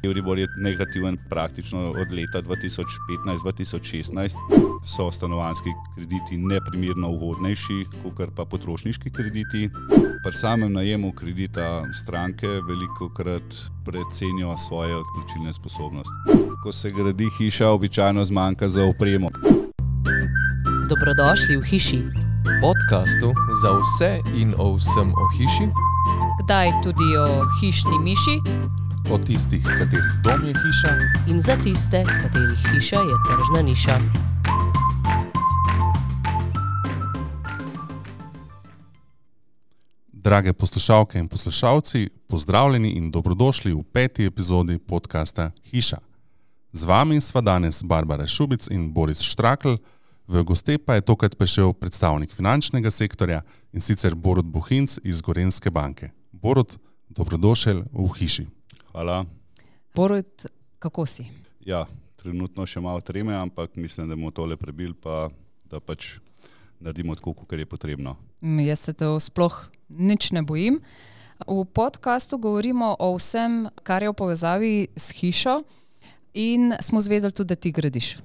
Euribor je negativen praktično od leta 2015-2016. So stanovanjski krediti neprimerno ugodnejši, kot pa potrošniški krediti. Pri samem najemu kredita stranke velikokrat precenijo svoje odplačilne sposobnosti. Ko se gradi hiša, običajno zmanjka za opremo. Dobrodošli v hiši. Podcastu za vse in o vsem o hiši. Kdaj tudi o hišni miši. O tistih, katerih dom je hiša. In za tiste, katerih hiša je tržna niša. Drage poslušalke in poslušalci, pozdravljeni in dobrodošli v 5. epizodi podcasta Hiša. Z vami sva danes Barbara Šubic in Boris Štrakl, v goste pa je tokrat prišel predstavnik finančnega sektorja in sicer Borut Bohinc iz Gorenjske banke. Borut, dobrodošel v hiši. Hvala. Borut, kako si? Ja, trenutno še malo treme, ampak mislim, da bomo tole prebili, pa da pač naredimo tako, kot je potrebno. Jaz se to sploh nič ne bojim. V podcastu govorimo o vsem, kar je v povezavi s hišo in smo zvedeli tudi, da ti gradiš.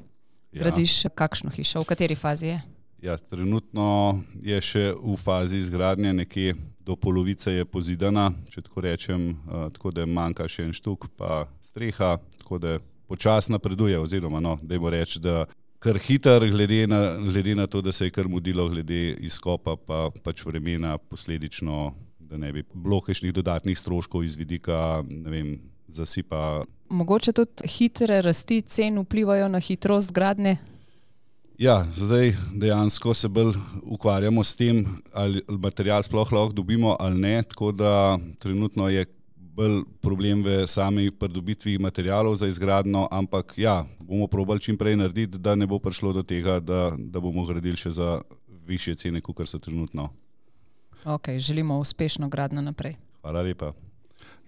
Gradiš kakšno hišo, v kateri fazi je? Ja, trenutno je še v fazi izgradnje, nekje do polovice je pozidana, če tako rečem, tako da manjka še en štuk, pa streha, tako da počasno napreduje, oziroma dajmo reči, da kar hiter, glede na to, da se je kar mudilo glede izkopa, pa pač vremena posledično, da ne bi bilo kakšnih dodatnih stroškov iz vidika, zasipa. Mogoče tudi hitre rasti cen vplivajo na hitrost gradnje? Ja, zdaj dejansko se bolj ukvarjamo s tem, ali material sploh lahko dobimo ali ne, tako da trenutno je bolj problem v sami pridobitvi materialov za izgradnjo, ampak ja, bomo probali čim prej narediti, da ne bo prišlo do tega, da bomo gradili še za višje cene, kot so trenutno. Ok, želimo uspešno gradnjo naprej. Hvala lepa.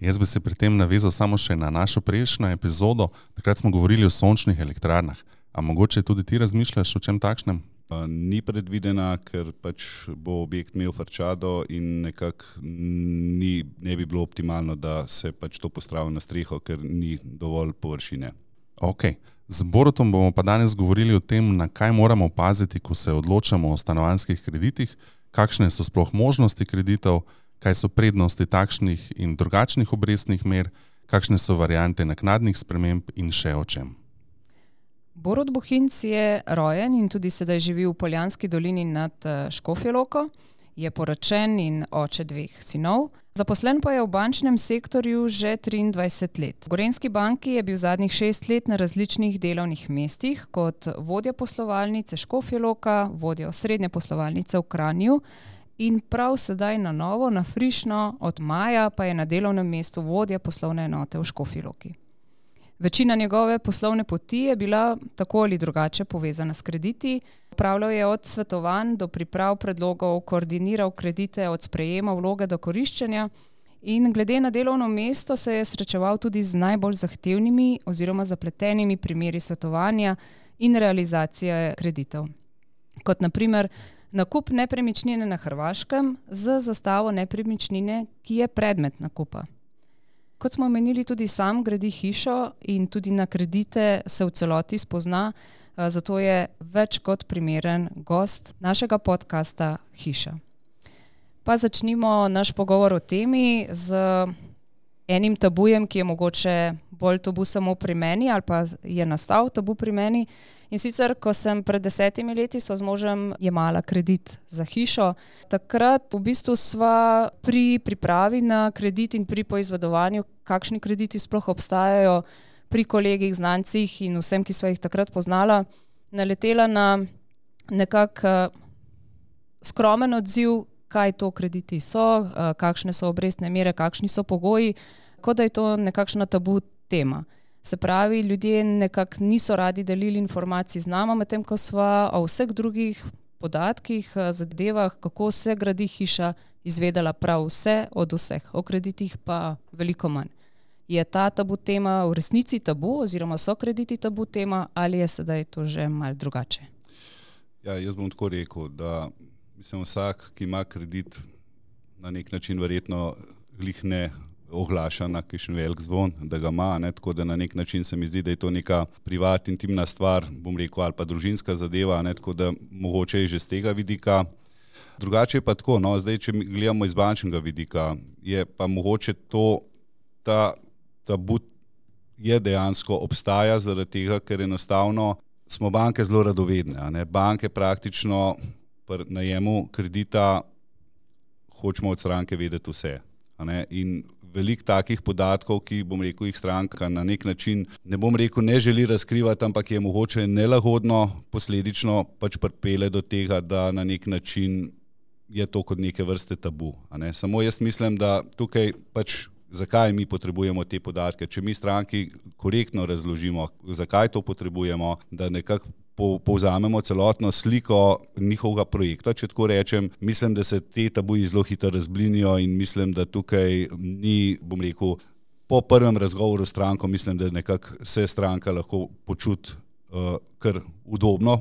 Jaz bi se pri tem navezal samo še na našo prejšnjo epizodo. Takrat smo govorili o sončnih elektrarnah. A mogoče tudi ti razmišljaš o čem takšnem? Ni predvidena, ker pač bo objekt imel farčado in nekako ne bi bilo optimalno, da se pač to postavi na streho, ker ni dovolj površine. Ok. Z Borutom bomo pa danes govorili o tem, na kaj moramo paziti, ko se odločamo o stanovanjskih kreditih, kakšne so sploh možnosti kreditov, kaj so prednosti takšnih in drugačnih obrestnih mer, kakšne so variante naknadnih sprememb in še o čem. Borut Bohinc je rojen in tudi sedaj živi v Poljanski dolini nad Škofjo Loko, je poročen in oče 2 sinov. Zaposlen pa je v bančnem sektorju že 23 let. V Gorenjski banki je bil zadnjih 6 let na različnih delovnih mestih kot vodja poslovalnice Škofja Loka, vodja osrednje poslovalnice v Kranju in prav sedaj na novo, na frišno, od maja pa je na delovnem mestu vodja poslovne enote v Škofji Loki. Večina njegove poslovne poti je bila tako ali drugače povezana s krediti. Opravljal je od svetovanj do priprav predlogov, koordiniral kredite od sprejema vloge do koriščenja in glede na delovno mesto se je srečeval tudi z najbolj zahtevnimi oziroma zapletenimi primeri svetovanja in realizacije kreditov. Kot na primer nakup nepremičnine na Hrvaškem z zastavo nepremičnine, ki je predmet nakupa. Kot smo omenili, tudi sam gradi hišo in tudi na kredite se v celoti spozna, zato je več kot primeren gost našega podcasta Hiša. Pa začnimo naš pogovor o temi z enim tabujem, ki je mogoče bolj tabu samo pri meni ali pa je nastal tabu pri meni. In sicer, ko sem pred 10 leti sva z možem jemala kredit za hišo, takrat v bistvu sva pri pripravi na kredit in pri poizvedovanju, kakšni krediti sploh obstajajo pri kolegih, znancih in vsem, ki sva jih takrat poznala, naletela na nekak skromen odziv, kaj to krediti so, kakšne so obrestne mere, kakšni so pogoji, kot da je to nekakšna tabu tema. Se pravi, ljudje nekako niso radi delili informacij z nama, medtem ko sva o vseh drugih podatkih, zadevah, kako se gradi hiša, izvedela prav vse od vseh, o kreditih pa veliko manj. Je ta tabu tema v resnici tabu oziroma so krediti tabu tema ali je sedaj to že malo drugače? Ja, jaz bom tako rekel, da vsak, ki ima kredit, na nek način verjetno glih ne oglaša na kakšen velik zvon, da ga ima, ne? Tako da na nek način se mi zdi, da je to neka privat, intimna stvar, bom rekel, ali pa družinska zadeva, ne? Tako da mogoče je že z tega vidika. Drugače je pa tako, no, zdaj, če gledamo iz bančnega vidika, je pa mogoče ta tabu je dejansko obstaja zaradi tega, ker enostavno smo banke zelo radovedne, a ne? Banke praktično pri najemu kredita hočemo od stranke vedeti vse, a ne? In veliko takih podatkov, ki, bom rekel, jih stranka na nek način, ne bom rekel, ne želi razkrivati, ampak je mogoče nelagodno, posledično pač pripelje do tega, da na nek način je to kot neke vrste tabu, a ne? Samo jaz mislim, da tukaj pač zakaj mi potrebujemo te podatke, če mi stranki korektno razložimo, zakaj to potrebujemo, da nekako povzamemo celotno sliko njihovega projekta, če tako rečem, mislim, da se te tabuji zelo hitro razblinijo in mislim, da tukaj ni, bom rekel, po prvem razgovoru s stranko, mislim, da nekako se stranka lahko počuti kar udobno.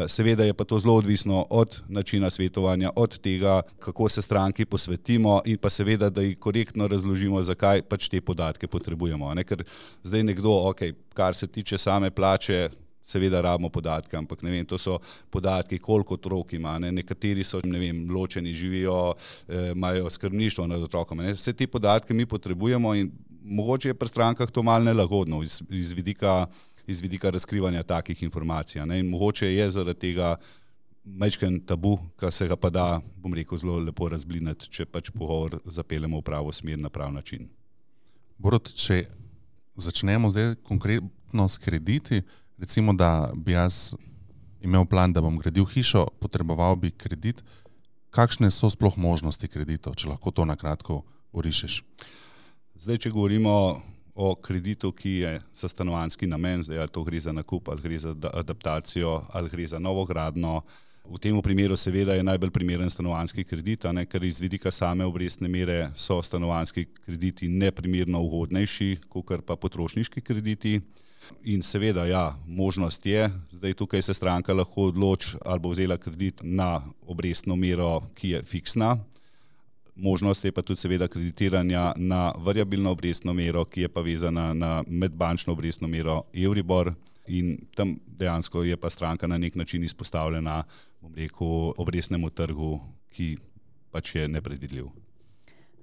Seveda je pa to zelo odvisno od načina svetovanja, od tega, kako se stranki posvetimo in pa seveda, da ji korektno razložimo, zakaj pač te podatke potrebujemo. Ne? Ker zdaj nekdo, kar se tiče same plače, seveda rabimo podatke, ampak ne vem, to so podatki, koliko otrok ima, ne? Nekateri so, ne vem, ločeni, živijo, imajo skrbništvo nad otrokom. Ne? Vse te podatke mi potrebujemo in mogoče je pri strankah to malo nelagodno iz vidika razkrivanja takih informacij. Ne? In mogoče je zaradi tega majčken tabu, kar se ga pa da, bom rekel, zelo lepo razblinati, če pač pogovor zapeljemo v pravo smer na prav način. Borut, če začnemo zdaj konkretno s krediti, recimo, da bi jaz imel plan, da bom gradil hišo, potreboval bi kredit, kakšne so sploh možnosti kreditov, če lahko to na kratko orišeš? Zdaj, če govorimo o kreditu, ki je za stanovanjski namen, zdaj ali to gre za nakup, ali gre za adaptacijo, ali gre za novogradnjo. V tem primeru seveda je najbolj primeren stanovanjski kredit, ker iz vidika same obrestne mere so stanovanjski krediti neprimerno ugodnejši, kakor pa potrošniški krediti. In seveda, ja, možnost je, zdaj tukaj se stranka lahko odloči ali bo vzela kredit na obrestno mero, ki je fiksna. Možnost je pa tudi seveda kreditiranja na variabilno obrestno mero, ki je pa vezana na medbančno obrestno mero Euribor in tam dejansko je pa stranka na nek način izpostavljena, bom rekel, obrestnemu trgu, ki pač je nepredvidljiv.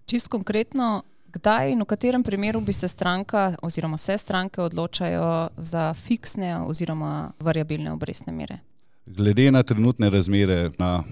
Čisto konkretno, kdaj in v katerem primeru bi se stranka oziroma se stranke odločajo za fiksne oziroma variabilne obrestne mere? Glede na trenutne razmere na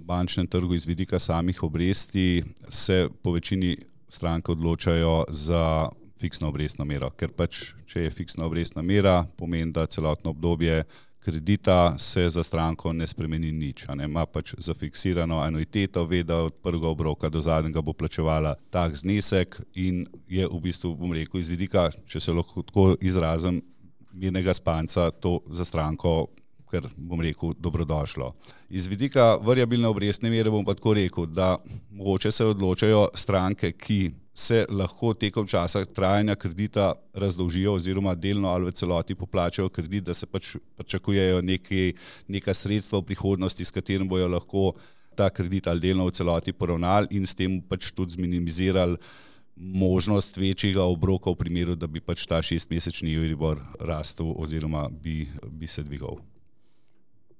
bančnem trgu iz vidika samih obresti se po večini stranke odločajo za fiksno obrestno mero, ker pač, če je fiksna obrestna mera, pomeni, da celotno obdobje kredita se za stranko ne spremeni nič, ima pač zafiksirano anuiteto, ve, da od prvega obroka do zadnjega bo plačevala tak znesek in je v bistvu, bom rekel, iz vidika, če se lahko tako izrazim, mirnega spanca to za stranko, ker bom rekel, dobrodošlo. Iz vidika variabilne obrestne mere bom pa tako rekel, da mogoče se odločajo stranke, ki se lahko tekom časa trajanja kredita razdolžijo oziroma delno ali v celoti poplačajo kredit, da se pač pričakujejo neka sredstva v prihodnosti, s katerim bojo lahko ta kredit ali delno v celoti poravnali in s tem pač tudi zminimizirali možnost večjega obroka v primeru, da bi pač ta 6-mesečni Euribor rastel oziroma bi se dvigal.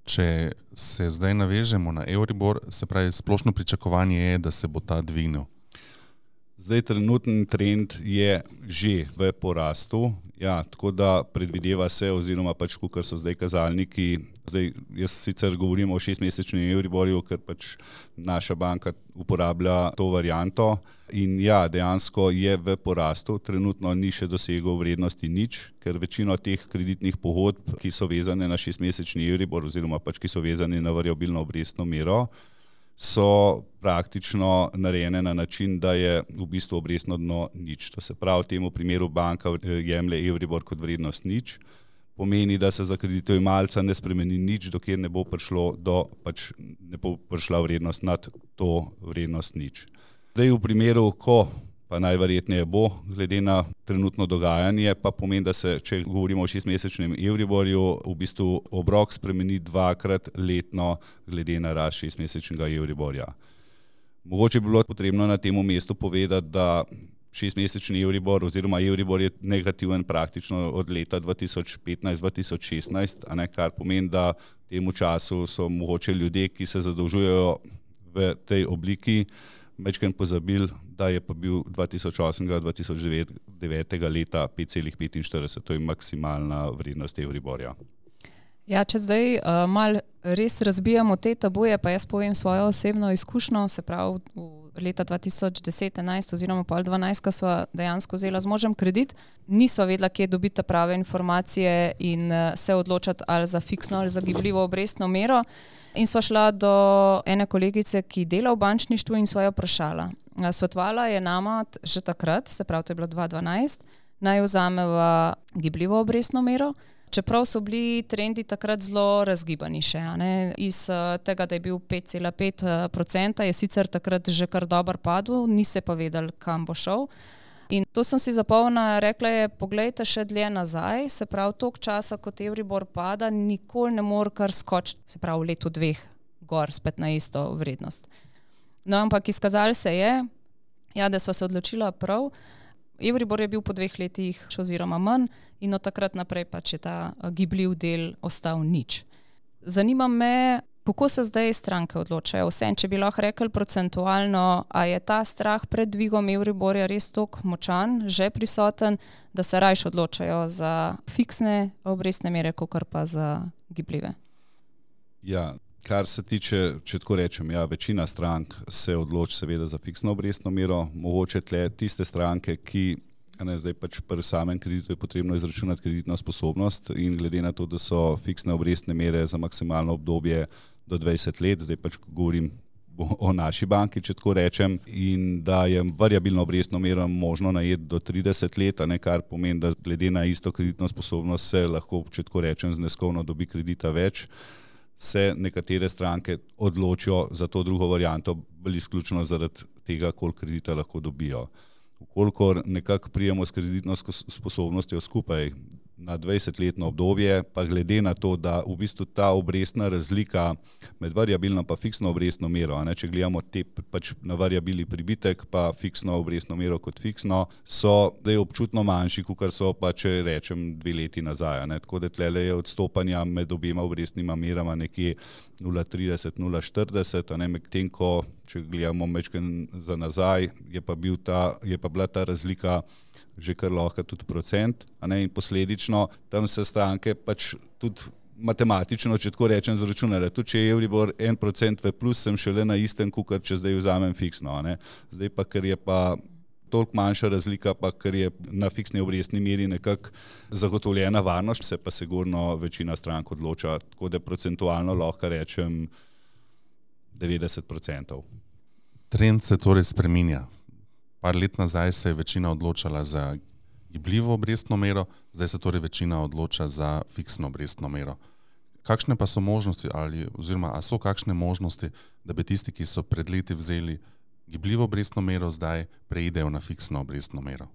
Če se zdaj navežemo na Euribor, se pravi, splošno pričakovanje je, da se bo ta dvignil. Zdaj trenutni trend je že v porastu, ja, tako da predvideva se oziroma pač, kakor so zdaj kazalniki, zdaj jaz sicer govorim o 6-mesečnem Euriborju, ker pač naša banka uporablja to varianto in ja, dejansko je v porastu, trenutno ni še dosegel vrednosti nič, ker večino teh kreditnih pogodb, ki so vezane na 6-mesečni Euribor oziroma pač, ki so vezane na variabilno obrestno mero, so praktično narejene na način, da je v bistvu obrestno dno nič. To se pravi, v tem primeru banka jemlje Euribor kot vrednost nič, pomeni, da se za kreditojemalca ne spremeni nič, dokler ne bo ne bo prišla vrednost nad to vrednost nič. Zdaj v primeru, ko pa najverjetneje bo, glede na trenutno dogajanje, pa pomeni, da se, če govorimo o 6-mesečnem Euriborju, v bistvu obrok spremeni 2-krat letno glede na rast 6-mesečnega Euriborja. Mogoče bi bilo potrebno na tem mestu povedati, da šestmesečni Euribor oziroma Euribor je negativen praktično od leta 2015-2016, kar pomeni, da v tem času so mogoče ljudje, ki se zadolžujejo v tej obliki, večkrat pozabili, da je pa bil 2008-2009 leta 5,45, to je maksimalna vrednost Euriborja. Ja, če zdaj malo res razbijamo te tabuje, pa jaz povem svojo osebno izkušnjo, se pravi v leta 2010-11 oziroma pol 12, ko sva dejansko vzela z možem kredit, nisva vedela, kje dobiti prave informacije in se odločati ali za fiksno ali za gibljivo obrestno mero. In sva šla do ene kolegice, ki dela v bančništvu in sva jo vprašala. Svetovala je nama že takrat, se pravi to je bilo 2012, naj vzameva gibljivo obrestno mero, čeprav so bili trendi takrat zelo razgibani še. Iz tega, da je bil 5,5%, je sicer takrat že kar dober padel, ni se pa vedel, kam bo šel. In to sem si zapomnila, rekla je, poglejte še dlje nazaj, se pravi toliko časa, kot Euribor pada, nikoli ne more kar skočiti, se pravi v letu 2 gor spet na isto vrednost. No, ampak izkazalo se je, ja, da sva se odločila prav, Euribor je bil po 2 letih oziroma manj in od takrat naprej pač je ta gibljiv del ostal nič. Zanima me, kako se zdaj stranke odločajo? Vsem, če bi lahko rekli procentualno, a je ta strah pred dvigom Euriborja res toliko močan, že prisoten, da se rajš odločajo za fiksne obrestne mere, kakor pa za gibljive? Ja, kar se tiče, če tako rečem, ja, večina strank se odloči seveda za fiksno obrestno mero, mogoče tle tiste stranke, ki zdaj pač pri samem kreditu je potrebno izračunati kreditno sposobnost in glede na to, da so fiksne obrestne mere za maksimalno obdobje do 20 let, zdaj pač govorim o naši banki, če tako rečem, in da je variabilno obrestno mero možno najeti do 30 let, kar pomeni, da glede na isto kreditno sposobnost se lahko, če tako rečem, zneskovno dobi kredita več, se nekatere stranke odločijo za to drugo varianto, bolj izključno zaradi tega, koliko kredita lahko dobijo. Vkolikor nekako prijemo s kreditno sposobnostjo skupaj na 20-letno obdobje, pa glede na to, da v bistvu ta obrestna razlika med variabilno pa fiksno obrestno mero, če gledamo te pač na variabili pribitek pa fiksno obrestno mero kot fiksno, so zdaj občutno manjši, kakor so pa, če rečem, 2 leti nazaj. Tako da tlele je odstopanja med obema obrestnima merama nekje 0,30-0,40, medtem ko, če gledamo mečken za nazaj, je pa bila ta razlika že kar lahko tudi procent, in posledično tam se stranke pač tudi matematično, če tako rečem, zračunale. Tudi če je Euribor 1% v plus, sem šele na istem, kakor če zdaj vzamem fiksno. Zdaj pa, ker je pa toliko manjša razlika, pa ker je na fiksni obrestni meri nekako zagotovljena varnost, se pa sigurno večina strank odloča, tako da procentualno lahko rečem 90%. Trend se torej spreminja. Par let nazaj se je večina odločala za gibljivo obrestno mero, zdaj se torej večina odloča za fiksno obrestno mero. Kakšne pa so možnosti oziroma so kakšne možnosti, da bi tisti, ki so pred leti vzeli gibljivo obrestno mero, zdaj preidejo na fiksno obrestno mero?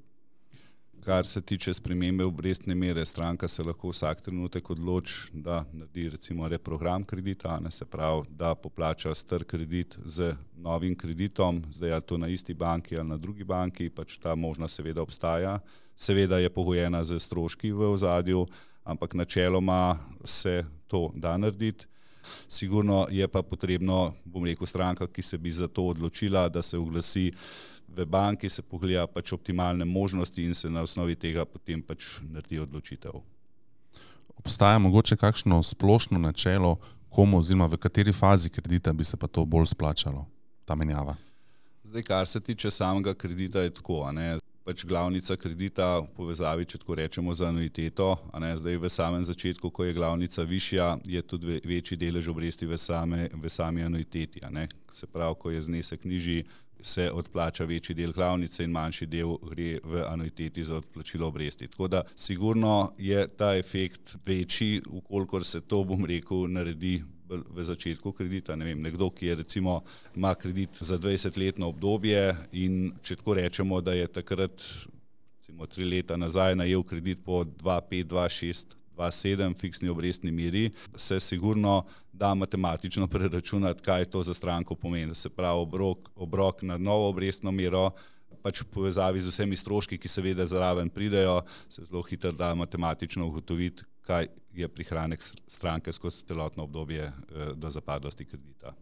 Kar se tiče spremembe obrestne mere, stranka se lahko vsak trenutek odloči, da naredi recimo reprogram kredita, se pravi, da poplača star kredit z novim kreditom, zdaj ali to na isti banki ali na drugi banki, pač ta možnost seveda obstaja. Seveda je pogojena z stroški v ozadju, ampak načeloma se to da narediti. Sigurno je pa potrebno, bom rekel, stranka, ki se bi za to odločila, da se oglasi v banki, se pogleda pač optimalne možnosti in se na osnovi tega potem pač naredi odločitev. Obstaja mogoče kakšno splošno načelo, komu oziroma v kateri fazi kredita bi se pa to bolj splačalo, ta menjava? Zdaj, kar se tiče samega kredita, je tako, pač glavnica kredita v povezavi, če tako rečemo, za anuiteto, zdaj v samem začetku, ko je glavnica višja, je tudi večji delež obresti v sami anuiteti, Se pravi, ko je znesek nižji, se odplača večji del glavnice in manjši del gre v anuiteti za odplačilo obresti. Tako da sigurno je ta efekt večji, ukolikor se to, bom rekel, naredi v začetku kredita. Nekdo, ki je recimo ima kredit za 20-letno obdobje in če tako rečemo, da je takrat recimo 3 leta nazaj najel kredit po 2,5, 2,6, 2,7 fiksni obrestni meri, se sigurno da matematično preračunati, kaj to za stranko pomeni. Se pravi, obrok na novo obrestno mero pač v povezavi z vsemi stroški, ki seveda zraven pridejo, se zelo hitro da matematično ugotoviti, kaj je prihranek stranke skozi celotno obdobje do zapadlosti kredita.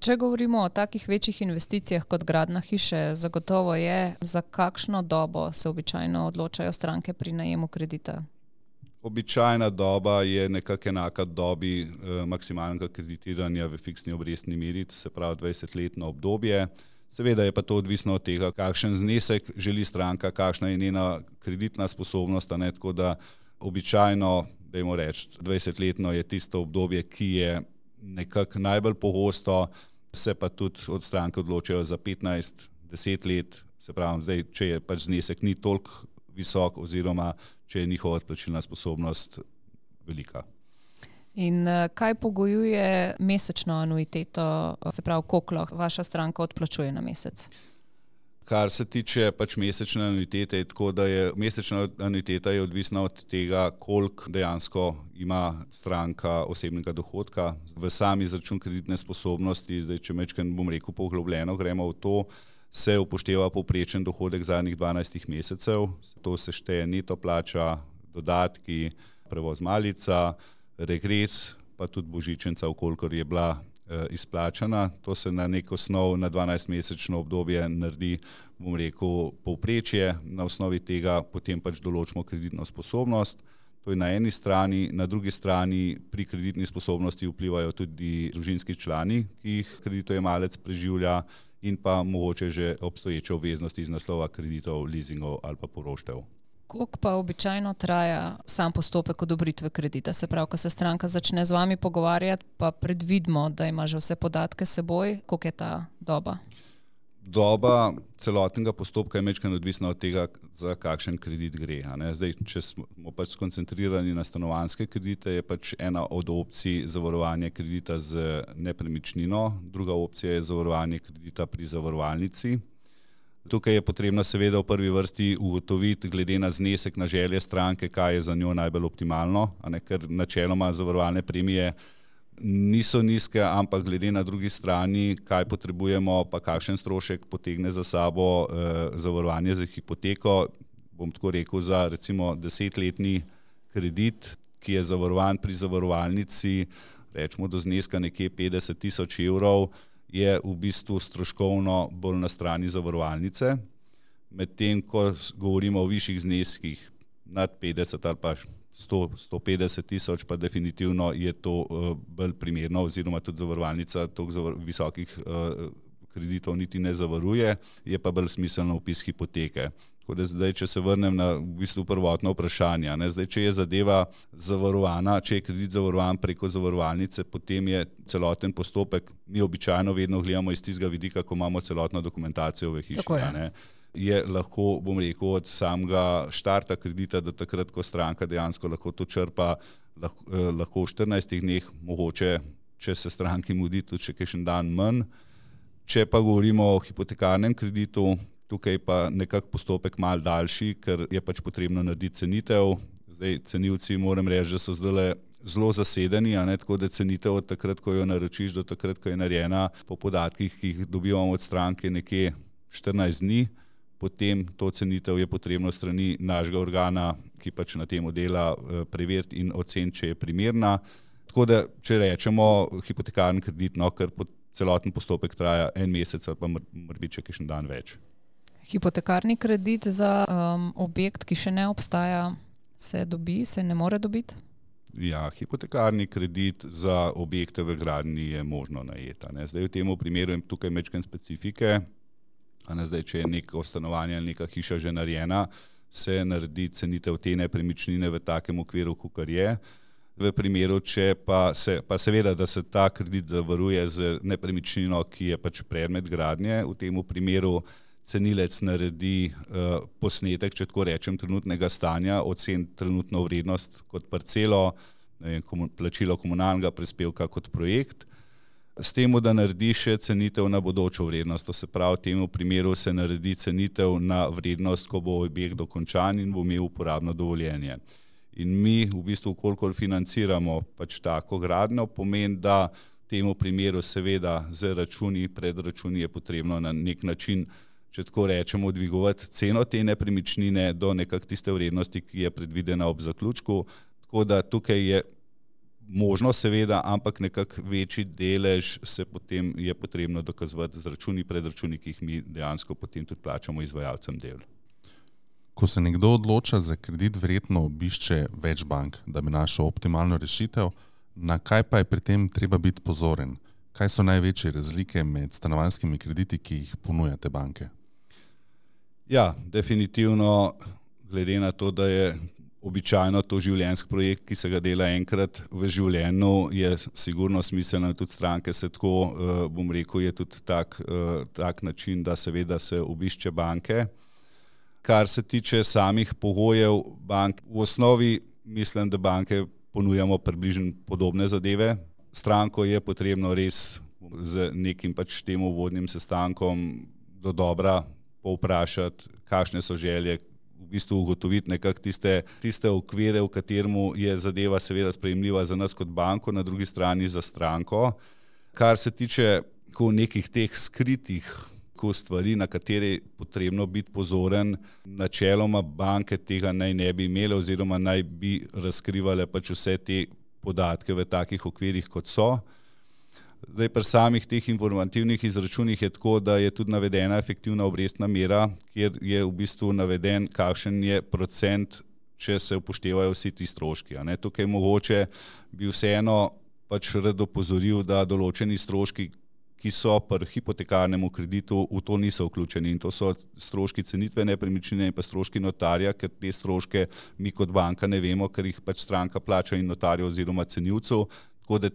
Če govorimo o takih večjih investicijah kot gradnja hiše, zagotovo je, za kakšno dobo se običajno odločajo stranke pri najemu kredita? Običajna doba je nekako enaka dobi maksimalnega kreditiranja v fiksni obrestni meri, se pravi 20-letno obdobje. Seveda je pa to odvisno od tega, kakšen znesek želi stranka, kakšna je njena kreditna sposobnost, tako da običajno, dajmo reči, 20-letno je tisto obdobje, ki je nekako najbolj pogosto, se pa tudi od stranke odločajo za 15-10 let, se pravi, zdaj, če je pač znesek ni toliko visok oziroma če je njihova odplačilna sposobnost velika. In kaj pogojuje mesečno anuiteto, se pravi, koliko vaša stranka odplačuje na mesec? Kar se tiče pač mesečne anuitete, je tako, da je mesečna anuiteta je odvisna od tega, koliko dejansko ima stranka osebnega dohodka. V sami izračun kreditne sposobnosti, zdaj če mečkaj bom rekel poglobljeno, gremo v to, se upošteva povprečen dohodek zadnjih 12 mesecev, to se šteje neto plača, dodatki, prevoz malica, regres, pa tudi božičnica, vkolikor je bila izplačana. To se na nek osnov na 12-mesečno obdobje naredi, bom rekel, povprečje, na osnovi tega potem pač določimo kreditno sposobnost. To je na eni strani, na drugi strani pri kreditni sposobnosti vplivajo tudi družinski člani, ki jih kreditojemalec preživlja, in pa mogoče že obstoječe obveznosti iz naslova kreditov, leasingov ali pa poroštev. Koliko pa običajno traja sam postopek odobritve kredita? Se pravi, ko se stranka začne z vami pogovarjati, pa predvidimo, da ima že vse podatke s seboj, koliko je ta doba? Doba celotnega postopka je majčkeno odvisna od tega, za kakšen kredit gre. Zdaj, če smo pač skoncentrirani na stanovanjske kredite, je pač ena od opcij zavarovanje kredita z nepremičnino, druga opcija je zavarovanje kredita pri zavarovalnici. Tukaj je potrebno seveda v prvi vrsti ugotoviti, glede na znesek, na želje stranke, kaj je za njo najbolj optimalno, ker načeloma zavarovalne premije niso nizke, ampak glede na drugi strani, kaj potrebujemo, pa kakšen strošek potegne za sabo zavarovanje za hipoteko, bom tako rekel, za recimo 10-letni kredit, ki je zavarovan pri zavarovalnici, rečemo do zneska nekje 50 000 evrov, je v bistvu stroškovno bolj na strani zavarovalnice, medtem ko govorimo o višjih zneskih nad 50 ali pa 150 tisoč, pa definitivno je to bolj primerno, oziroma tudi zavarovalnica toliko visokih kreditov niti ne zavaruje, je pa bolj smiselno vpis hipoteke. Tako da zdaj, če se vrnem na v bistvu prvotno vprašanje, zdaj, če je zadeva zavarovana, če je kredit zavarovan preko zavarovalnice, potem je celoten postopek, mi običajno vedno gledamo iz tistega vidika, ko imamo celotno dokumentacijo v hiši. Je lahko, bom rekel, od samega štarta kredita do takrat, ko stranka dejansko lahko to črpa, lahko v 14 dneh, mogoče, če se stranki mudi, tudi še kakšen dan manj. Če pa govorimo o hipotekarnem kreditu, tukaj pa nekako postopek malo daljši, ker je pač potrebno narediti cenitev. Zdaj, cenilci moram reči, da so zdaj zelo zasedeni, tako da cenitev od takrat, ko jo naročiš, do takrat, ko je narejena, po podatkih, ki jih dobivamo od stranke, nekje 14 dni. Potem to cenitev je potrebno strani našega organa, ki pač na temu dela, preveriti in oceniti, če je primerna. Tako da, če rečemo hipotekarni kredit, ker celoten postopek traja 1 mesec ali pa morda še kakšen dan več. Hipotekarni kredit za objekt, ki še ne obstaja, se dobi, se ne more dobiti? Ja, hipotekarni kredit za objekte v gradnji je možno najeti. Zdaj v tem primeru je tukaj majčkeno specifike. Zdaj, če je neko stanovanje ali neka hiša že narejena, se naredi cenitev te nepremičnine v takem okviru, kakor je. V primeru, če pa seveda, da se ta kredit zavaruje z nepremičnino, ki je pač predmet gradnje, v tem primeru cenilec naredi posnetek, če tako rečem, trenutnega stanja, oceni trenutno vrednost kot parcelo, plačilo komunalnega prispevka kot projekt, s tem, da naredi še cenitev na bodočo vrednost. To se pravi, v tem primeru se naredi cenitev na vrednost, ko bo objekt dokončan in bo imel uporabno dovoljenje. In mi v bistvu, kolikor financiramo pač tako gradnjo, pomeni, da v tem primeru seveda z računi, pred računi je potrebno na nek način če tako rečemo, dvigovati ceno te nepremičnine do nekak tiste vrednosti, ki je predvidena ob zaključku. Tako da tukaj je možno seveda, ampak nekak večji delež se potem je potrebno dokazovati z računi, predračuni, ki jih mi dejansko potem tudi plačamo izvajalcem del. Ko se nekdo odloča za kredit, verjetno obišče več bank, da bi našel optimalno rešitev. Na kaj pa je pri tem treba biti pozoren? Kaj so največje razlike med stanovanjskimi krediti, ki jih ponujate banke? Ja, definitivno, glede na to, da je običajno to življenjski projekt, ki se ga dela enkrat v življenju, je sigurno smiselno, tudi stranke se tako, bom rekel, je tudi tak način, da seveda se obišče banke. Kar se tiče samih pogojev bank, v osnovi mislim, da banke ponujamo približno podobne zadeve. Stranko je potrebno res z nekim pač tem uvodnim sestankom do dobra povprašati, kakšne so želje, v bistvu ugotoviti nekako tiste okvire, v kateremu je zadeva seveda sprejemljiva za nas kot banko, na drugi strani za stranko. Kar se tiče nekih teh skritih stvari, na katere je potrebno biti pozoren, načeloma banke tega naj ne bi imele oziroma naj bi razkrivale pač vse te podatke v takih okvirih, kot so. Zdaj pri samih teh informativnih izračunih je tako, da je tudi navedena efektivna obrestna mera, kjer je v bistvu naveden, kakšen je procent, če se upoštevajo vsi ti stroški. Tukaj mogoče bi vseeno pač rad opozoril, da določeni stroški, ki so pri hipotekarnemu kreditu, v to niso vključeni, in to so stroški cenitve nepremičnine in pa stroški notarja, ker te stroške mi kot banka ne vemo, ker jih pač stranka plača in notarju oziroma cenilcu, tako da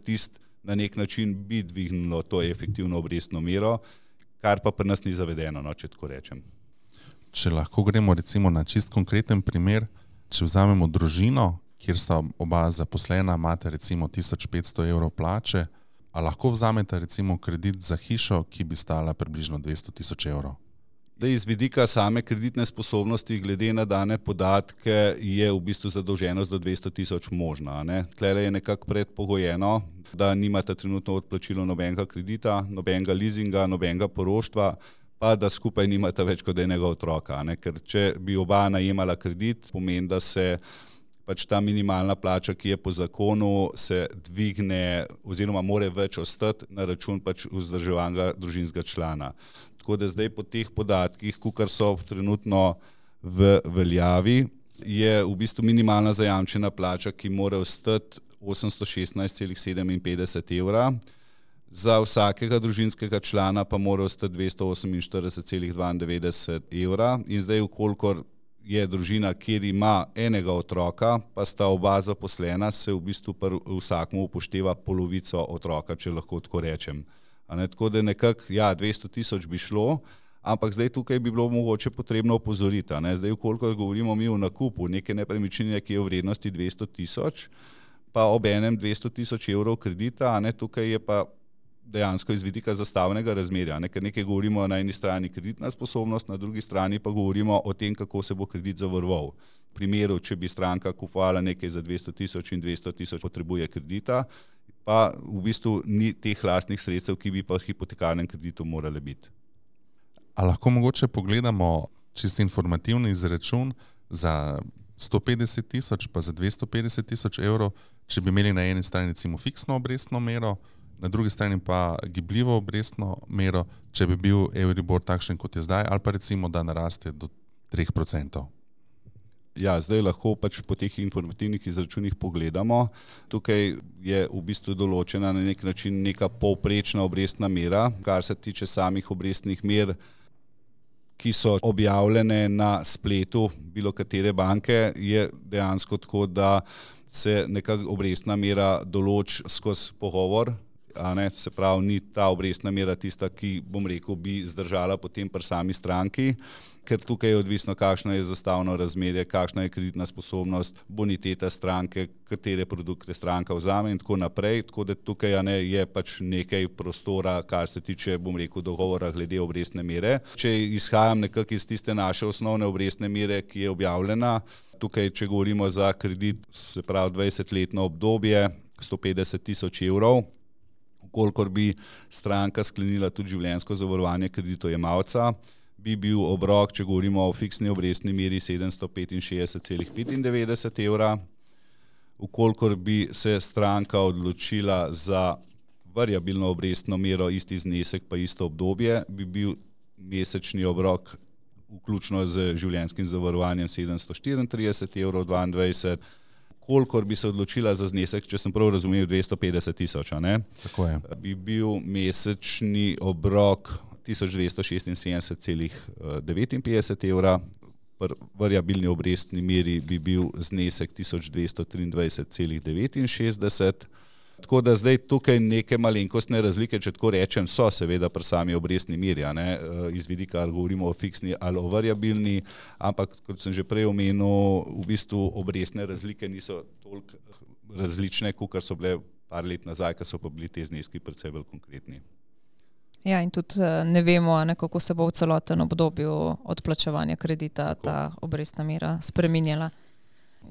na nek način bi dvignilo to efektivno obrestno mero, kar pa pri nas ni zavedeno, če tako rečem. Če lahko gremo recimo na čist konkreten primer, če vzamemo družino, kjer sta oba zaposlena, imate recimo 1500 evrov plače, a lahko vzamete recimo kredit za hišo, ki bi stala približno 200 000 evrov? Da iz vidika same kreditne sposobnosti, glede na dane podatke, je v bistvu zadolženost do 200 000 možna. Tlele je nekako predpogojeno, da nimate trenutno odplačilo nobenega kredita, nobenega leasinga, nobenega poroštva, pa da skupaj nimate več kot enega otroka. Ker če bi oba najemala kredit, pomeni, da se pač ta minimalna plača, ki je po zakonu, se dvigne oziroma more več ostati na račun pač vzdrževanega družinskega člana. Tako da zdaj po teh podatkih, kakor so trenutno v veljavi, je v bistvu minimalna zajamčena plača, ki mora ostati 816,57 evra, za vsakega družinskega člana pa mora ostati 248,92 evra, in zdaj vkolikor je družina, kjer ima enega otroka, pa sta oba zaposlena, se v bistvu vsakmu upošteva polovico otroka, če lahko tako rečem. Tako da nekako, 200 000 bi šlo, ampak zdaj tukaj bi bilo mogoče potrebno opozoriti. Zdaj, vkolikor govorimo mi o nakupu neke nepremičnine, ki je v vrednosti 200 000, pa ob enem 200 000 evrov kredita, tukaj je pa dejansko iz vidika zastavnega razmerja, ker nekaj govorimo na eni strani kreditna sposobnost, na drugi strani pa govorimo o tem, kako se bo kredit zavaroval. V primeru, če bi stranka kupovala nekaj za 200 000 in 200 000 potrebuje kredita, pa v bistvu ni teh lastnih sredstev, ki bi pa v hipotekarnem kreditu morale biti. A lahko mogoče pogledamo čisto informativni izračun za 150 000 pa za 250 000 evrov, če bi imeli na eni strani recimo fiksno obrestno mero, na drugi strani pa gibljivo obrestno mero, če bi bil Euribor takšen, kot je zdaj, ali pa recimo, da naraste do 3%. Ja, zdaj lahko pač po teh informativnih izračunih pogledamo. Tukaj je v bistvu določena na nek način neka povprečna obrestna mera, kar se tiče samih obrestnih mer, ki so objavljene na spletu bilo katere banke, je dejansko tako, da se neka obrestna mera določi skozi pogovor, se pravi, ni ta obrestna mera tista, ki, bom rekel, bi zdržala potem pri sami stranki, ker tukaj je odvisno, kakšno je zastavno razmerje, kakšna je kreditna sposobnost, boniteta stranke, katere produkte stranka vzame in tako naprej, tako da tukaj je pač nekaj prostora, kar se tiče, bom rekel, dogovora glede obrestne mere. Če izhajam nekako iz tiste naše osnovne obrestne mere, ki je objavljena, tukaj, če govorimo za kredit, se pravi 20-letno obdobje, 150 000 evrov, kolikor bi stranka sklenila tudi življenjsko zavarovanje kreditojemalca, bi bil obrok, če govorimo o fiksni obrestni meri, 765,95 evra. Ukolikor bi se stranka odločila za variabilno obrestno mero, isti znesek pa isto obdobje, bi bil mesečni obrok vključno z življenjskim zavarovanjem 734,22 evrov. Kolikor bi se odločila za znesek, če sem prav razumel, 250,000, Tako je. bi bil mesečni obrok 1276,59 evra, pri variabilni obrestni meri bi bil znesek 1223,69. Tako da zdaj tukaj neke malenkostne razlike, če tako rečem, so seveda pri sami obrestni meri, iz vidika, ali govorimo o fiksni ali o variabilni, ampak kot sem že prej omenil, v bistvu obrestne razlike niso toliko različne, kot so bile par let nazaj, ko so pa bili te zneski precej bolj konkretni. Ja, in tudi ne vemo, kako se bo v celoten obdobju odplačevanja kredita ta obrestna mera spreminjala.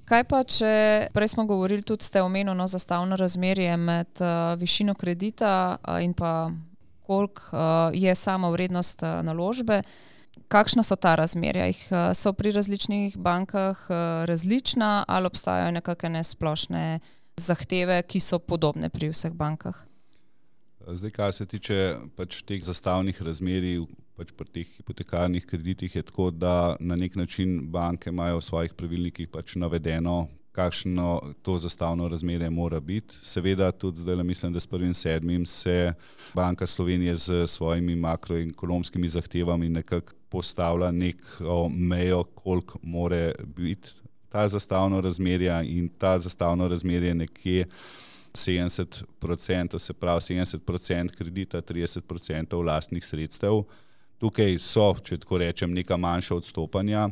Kaj pa, če prej smo govorili, tudi ste omenili zastavno razmerje med višino kredita in pa koliko je sama vrednost naložbe, kakšna so ta razmerja? So pri različnih bankah različna ali obstajajo nekakšne splošne zahteve, ki so podobne pri vseh bankah? Zdaj, kar se tiče teh zastavnih razmerij, pri teh hipotekarnih kreditih je tako, da na nek način banke imajo v svojih pravilnikih navedeno, kakšno to zastavno razmerje mora biti. Seveda tudi zdaj mislim, da s 1.7. se Banka Slovenije z svojimi makroekonomskimi zahtevami nekako postavlja neko mejo, koliko more biti ta zastavno razmerje, in ta zastavno razmerje nekje 70%, se pravi 70% kredita, 30% lastnih sredstev. Tukaj so, če tako rečem, neka manjša odstopanja,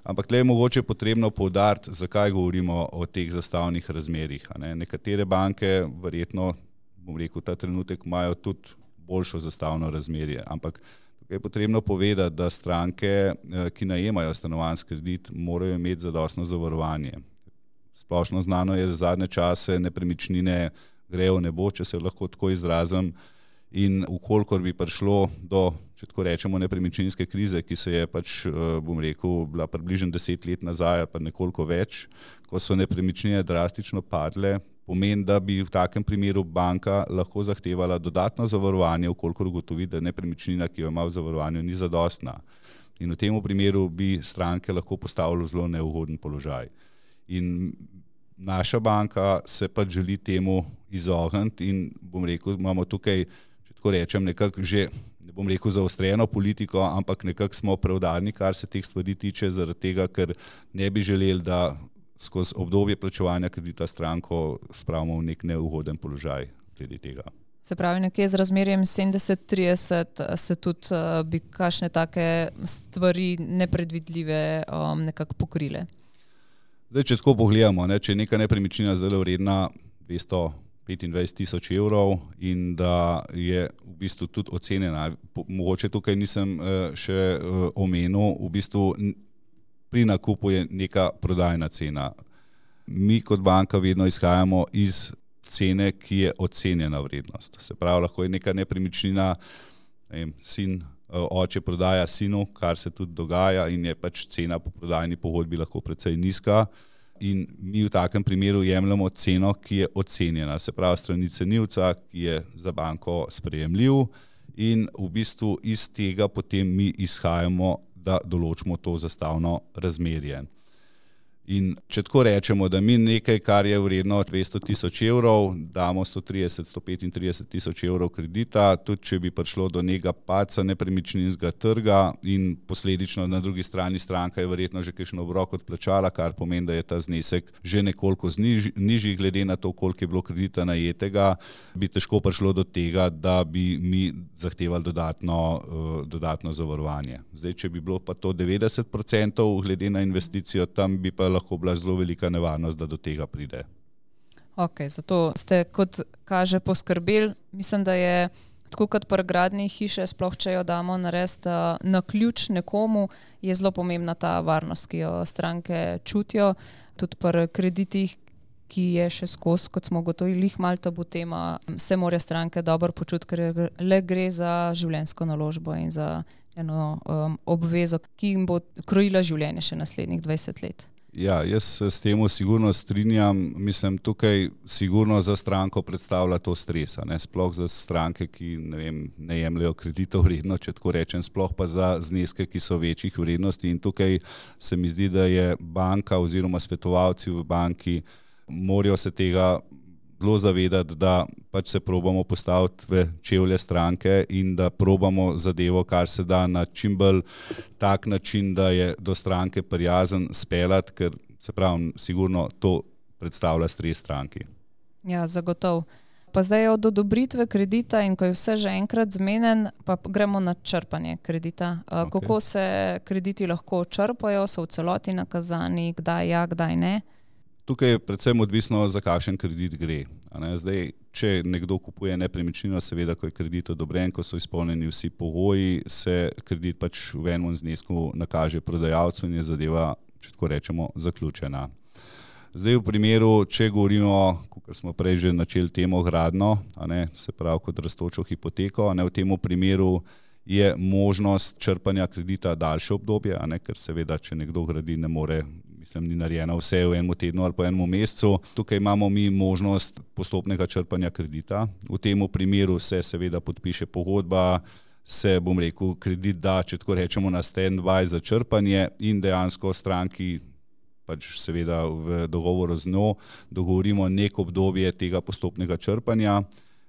ampak tukaj je mogoče potrebno poudariti, zakaj govorimo o teh zastavnih razmerjih. Nekatere banke verjetno, bom rekel, ta trenutek imajo tudi boljšo zastavno razmerje, ampak tukaj je potrebno povedati, da stranke, ki najemajo stanovanjski kredit, morajo imeti zadostno zavarovanje. Splošno znano je, da zadnje čase nepremičnine grejo v nebo, če se lahko tako izrazim, in ukolikor bi prišlo do, če tako rečemo, nepremičninske krize, ki se je bom rekel, bila približno 10 let nazaj, pa nekoliko več, ko so nepremičnine drastično padle, pomeni, da bi v takem primeru banka lahko zahtevala dodatno zavarovanje, ukolikor ugotovi, da nepremičnina, ki jo ima v zavarovanju, ni zadostna. In v tem primeru bi stranke lahko postavilo zelo neugoden položaj. In naša banka se želi temu izogniti in bom rekel, imamo tukaj, če tako rečem, nekako že, ne bom rekel zaostreno politiko, ampak nekako smo preudarni, kar se teh stvari tiče, zaradi tega, ker ne bi želeli, da skozi obdobje plačevanja kredita stranko spravimo v nek neugoden položaj glede tega. Se pravi, nekje z razmerjem 70-30 se tudi bi kakšne take stvari nepredvidljive nekako pokrile. Zdaj, če tako pogledamo, če je neka nepremičnina zdaj vredna 225,000 evrov in da je v bistvu tudi ocenjena, mogoče tukaj nisem še omenil, v bistvu pri nakupu je neka prodajna cena. Mi kot banka vedno izhajamo iz cene, ki je ocenjena vrednost. Se pravi, lahko je neka nepremičnina, oče prodaja sinu, kar se tudi dogaja, in je cena po prodajni pogodbi lahko precej nizka, in mi v takem primeru jemljemo ceno, ki je ocenjena, se pravi strani cenilca, ki je za banko sprejemljiv, in v bistvu iz tega potem mi izhajamo, da določimo to zastavno razmerje. In če tako rečemo, da mi nekaj, kar je vredno 200,000 evrov, damo 130-135,000 evrov kredita, tudi če bi prišlo do nekega padca nepremičninskega trga in posledično na drugi strani stranka je verjetno že kakšen obrok odplačala, kar pomeni, da je ta znesek že nekoliko nižji glede na to, koliko je bilo kredita najetega, bi težko prišlo do tega, da bi mi zahtevali dodatno zavarovanje. Zdaj, če bi bilo pa to 90% glede na investicijo, tam bi pa lahko bila zelo velika nevarnost, da do tega pride. Ok, zato ste, kot kaže, poskrbeli. Mislim, da je tako kot pri gradnji hiše, sploh če jo damo narediti na ključ nekomu, je zelo pomembna ta varnost, ki jo stranke čutijo. Tudi pri kreditih, ki je še skozi, kot smo ugotovili, malo tabu tema, se morajo stranke dobro počutiti, ker le gre za življenjsko naložbo in za eno obvezo, ki jim bo krojila življenje še naslednjih 20 let. Ja, jaz se s tem sigurno strinjam. Mislim, tukaj sigurno za stranko predstavlja to stresa, ne? Sploh za stranke, ki ne jemljajo kreditov vredno, če tako rečem, sploh pa za zneske, ki so večjih vrednosti. In tukaj se mi zdi, da je banka oziroma svetovalci v banki morajo se tega zelo zavedati, da pač se probamo postaviti v čevlje stranke in da probamo zadevo, kar se da na čim bolj tak način, da je do stranke prijazen speljati, ker se pravi, sigurno to predstavlja stres stranki. Ja, zagotovo. Pa zdaj je od odobritve kredita in ko je vse že enkrat zmenjen, pa gremo na črpanje kredita. Kako se krediti lahko črpajo, so v celoti nakazani, kdaj ja, kdaj ne? Tukaj je predvsem odvisno, za kakšen kredit gre. Zdaj, če nekdo kupuje nepremičnino, seveda, ko je kredit odobren, ko so izpolnjeni vsi pogoji, se kredit pač v enem znesku nakaže prodajalcu in je zadeva, če tako rečemo, zaključena. Zdaj v primeru, če govorimo, kot smo prej že načeli temo gradnjo, se pravi kot rastočo hipoteko, v tem primeru je možnost črpanja kredita daljše obdobje, ker seveda, če nekdo gradi, ne more, ni narejeno vse v enem tednu ali pa enem mesecu. Tukaj imamo mi možnost postopnega črpanja kredita. V tem primeru se seveda podpiše pogodba, se, kredit da, če tako rečemo, na stand-by za črpanje in dejansko stranki pač seveda v dogovoru z njo dogovorimo neko obdobje tega postopnega črpanja.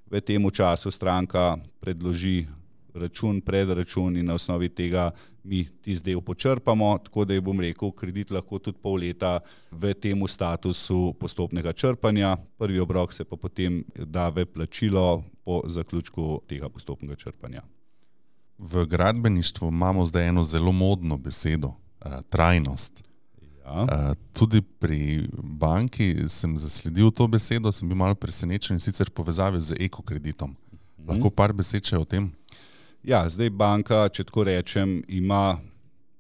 V tem času stranka predloži račun, predračun in na osnovi tega mi tisti del počrpamo, tako da je, kredit lahko tudi pol leta v tem statusu postopnega črpanja. Prvi obrok se pa potem da v plačilo po zaključku tega postopnega črpanja. V gradbeništvu imamo zdaj eno zelo modno besedo, trajnost. Ja. Tudi pri banki sem zasledil to besedo, sem bil malo presenečen, sicer povezavi z ekokreditom. Lahko par besed še o tem? Ja, zdaj banka, če tako rečem, ima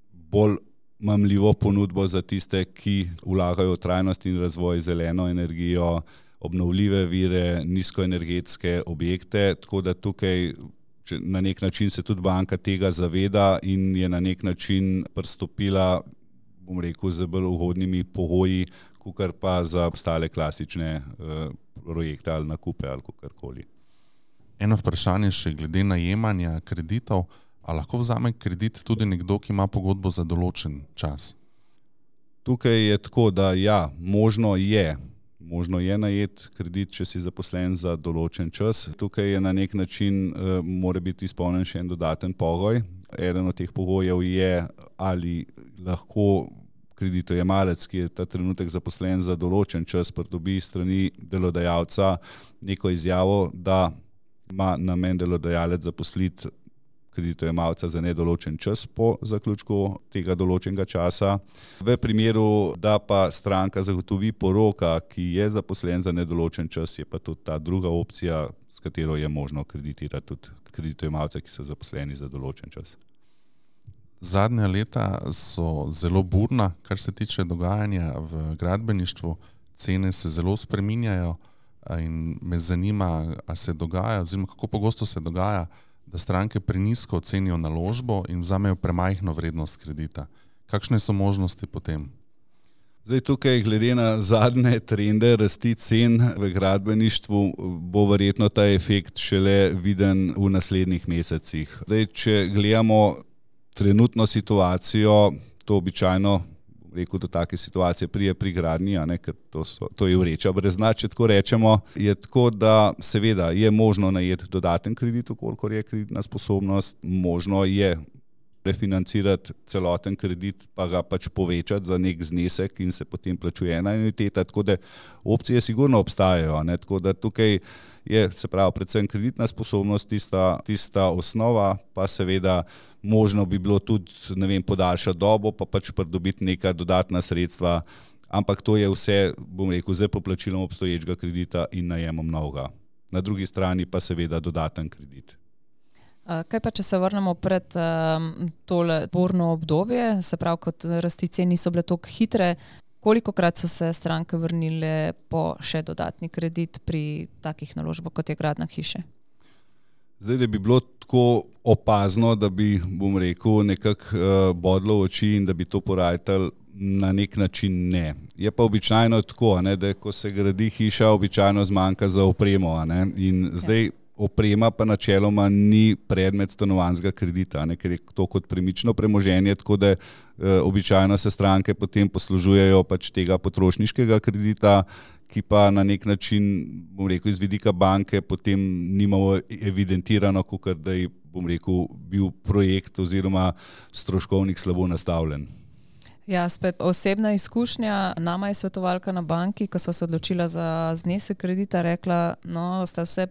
bolj mamljivo ponudbo za tiste, ki vlagajo v trajnost in razvoj, zeleno energijo, obnovljive vire, nizkoenergetske objekte, tako da tukaj na nek način se tudi banka tega zaveda in je na nek način pristopila, z bolj ugodnimi pogoji, kakor pa za ostale klasične projekte ali nakupe ali kakorkoli. Eno vprašanje še glede najemanja kreditov. A lahko vzame kredit tudi nekdo, ki ima pogodbo za določen čas? Tukaj je tako, da ja, možno je najeti kredit, če si zaposlen za določen čas. Tukaj je na nek način mora biti izpolnjen še en dodaten pogoj. Eden od teh pogojev je, ali lahko kreditojemalec, ki je ta trenutek zaposlen za določen čas, pridobi strani delodajalca neko izjavo, da ima namen delodajalec zaposliti kreditojemalca za nedoločen čas po zaključku tega določenega časa. V primeru, da pa stranka zagotovi poroka, ki je zaposlen za nedoločen čas, je pa tudi ta druga opcija, s katero je možno kreditirati tudi kreditojemalce, ki so zaposleni za določen čas. Zadnja leta so zelo burna, kar se tiče dogajanja v gradbeništvu. Cene se zelo spreminjajo in me zanima, a se dogaja, oziroma kako pogosto se dogaja, da stranke prenizko ocenijo naložbo in vzamejo premajhno vrednost kredita. Kakšne so možnosti potem? Zdaj tukaj, glede na zadnje trende rasti cen v gradbeništvu, bo verjetno ta efekt šele viden v naslednjih mesecih. Zdaj, če gledamo trenutno situacijo, to običajno do take situacije prije pri gradnji, ker to je vreča brez dna, če tako rečemo, je tako, da seveda je možno najeti dodaten kredit, kolikor je kreditna sposobnost, možno je refinancirati celoten kredit, pa ga pač povečati za nek znesek in se potem plačuje ena anuiteta, tako da opcije sigurno obstajajo, tako da tukaj je, se pravi, predvsem kreditna sposobnost tista osnova, pa seveda možno bi bilo tudi, podaljšati dobo, pa pač pridobiti neka dodatna sredstva, ampak to je vse, z poplačilom obstoječega kredita in najemom novega. Na drugi strani pa seveda dodaten kredit. Kaj pa, če se vrnemo pred tole burno obdobje, se pravi, kot rasti cen niso bile toliko hitre, kolikokrat so se stranke vrnile po še dodatni kredit pri takih naložbah, kot je gradnja hiše? Zdaj, da bi bilo tako opazno, da bi, bom rekel, nekako bodlo v oči in da bi to porajtal, na nek način ne. Je pa običajno tako, da ko se gradi hiša, običajno zmanjka za opremo. In zdaj oprema pa načeloma ni predmet stanovanjskega kredita, ker je to kot premično premoženje, tako da običajno se stranke potem poslužujejo pač tega potrošniškega kredita, ki pa na nek način, bom rekel, iz vidika banke potem nimamo evidentirano, kakor da je, bom rekel, bil projekt oziroma stroškovnik slabo nastavljen. Ja, spet osebna izkušnja. Nama je svetovalka na banki, ko sva se odločila za znesek kredita, rekla, no, sta vse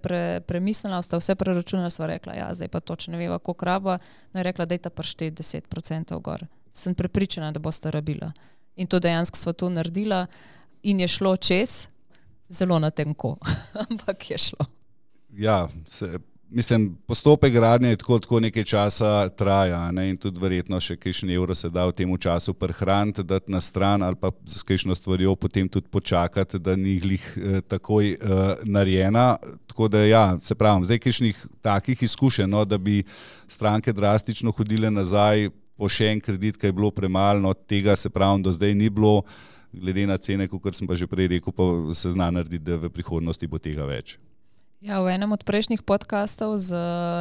premislila, sta vse preračunala, sva rekla, ja, zdaj pa točno ne veva, koliko raba, no je rekla, dajta prišteti 10% gor. Sem prepričana, da boste rabila. In to dejansko sva to naredila in je šlo čez, zelo na tenko, ampak je šlo. Ja, mislim, postopek gradnje je tako nekaj časa traja, in tudi verjetno še kakšen evro se da v tem času prihraniti, dati na stran ali pa s kakšno stvarjo potem tudi počakati, da ni glih takoj narejena. Tako da ja, se pravim, zdaj kakšnih takih izkušenj, da bi stranke drastično hodile nazaj po še en kredit, kaj je bilo premalo, tega se pravim, do zdaj ni bilo, glede na cene, kot sem pa že prej rekel, pa se zna narediti, da v prihodnosti bo tega več. Ja, v enem od prejšnjih podkastov z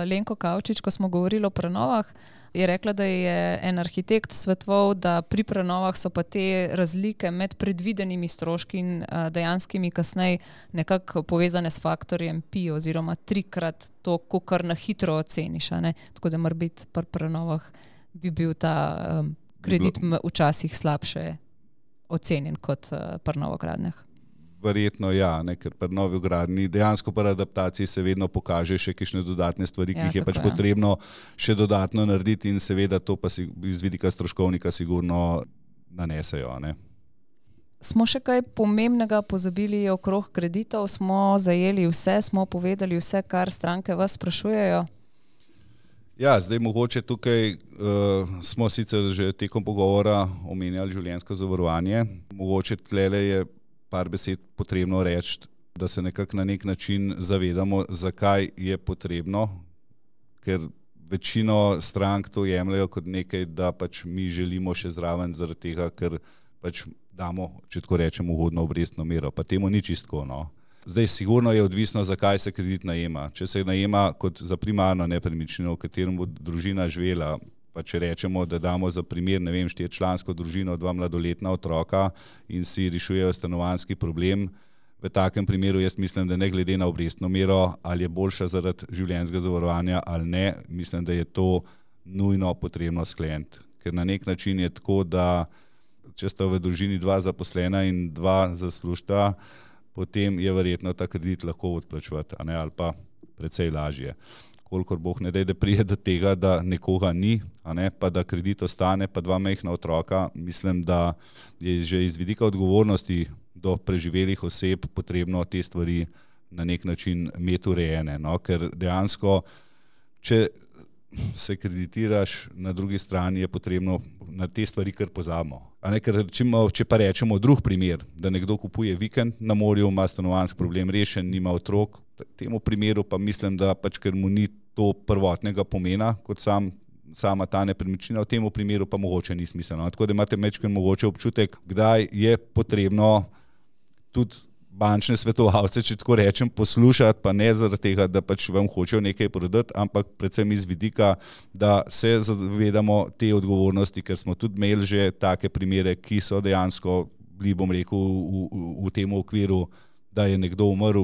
Lenko Kavčič, ko smo govorili o prenovah, je rekla, da je en arhitekt svetoval, da pri prenovah so pa te razlike med predvidenimi stroški in dejanskimi kasneje nekako povezane s faktorjem pi oziroma 3-krat to, kar na hitro oceniš. Tako da mora biti pri prenovah bi bil ta kredit včasih slabše ocenjen kot pri novogradnjah. Verjetno ja, ker pri novogradnji dejansko pri adaptaciji se vedno pokaže še kakšne dodatne stvari, ki jih je pač potrebno še dodatno narediti in seveda to pa iz vidika stroškovnika sigurno nanesejo. Smo še kaj pomembnega pozabili okrog kreditov? Smo zajeli vse, smo povedali vse, kar stranke vas sprašujejo? Ja, zdaj mogoče tukaj smo sicer že tekom pogovora omenjali življenjsko zavarovanje. Mogoče tlele je par besed potrebno reči, da se nekako na nek način zavedamo, zakaj je potrebno, ker večino strank to jemljajo kot nekaj, da pač mi želimo še zraven zaradi tega, ker pač damo, če tako rečemo, ugodno obrestno mero, pa temu ni čistko. Zdaj sigurno je odvisno, zakaj se kredit najema. Če se najema kot za primarno nepremičnino, v katerem bo družina živela, pa če rečemo, da damo za primer, 4-člansko družino, 2 mladoletna otroka in si rešujejo stanovanjski problem, v takem primeru jaz mislim, da ne glede na obrestno mero, ali je boljša zaradi življenjskega zavarovanja ali ne, mislim, da je to nujno potrebno skleniti. Ker na nek način je tako, da če sta v družini 2 zaposlena in 2 zaslužta, potem je verjetno ta kredit lahko odplačevati, ali pa precej lažje. Kolikor Bog ne da pride do tega, da nekoga ni, pa da kredit ostane, pa 2 majhna otroka, mislim, da je že iz vidika odgovornosti do preživelih oseb potrebno te stvari na nek način imeti urejene. Ker dejansko, če se kreditiraš, na drugi strani je potrebno na te stvari kar pozabimo. Ker če pa rečemo drug primer, da nekdo kupuje vikend na morju, ima stanovanjski problem rešen, nima otrok, temu primeru pa mislim, da pač ker mu ni to prvotnega pomena, kot sama ta nepremičnina, v temu primeru pa mogoče ni smiselno. Tako da imate mečken mogoče občutek, kdaj je potrebno tudi bančne svetovalce, če tako rečem, poslušati, pa ne zaradi tega, da pač vam hočejo nekaj prodati, ampak predvsem iz vidika, da se zavedamo te odgovornosti, ker smo tudi imeli že take primere, ki so dejansko bili, bom rekel, v tem okviru, da je nekdo umrl,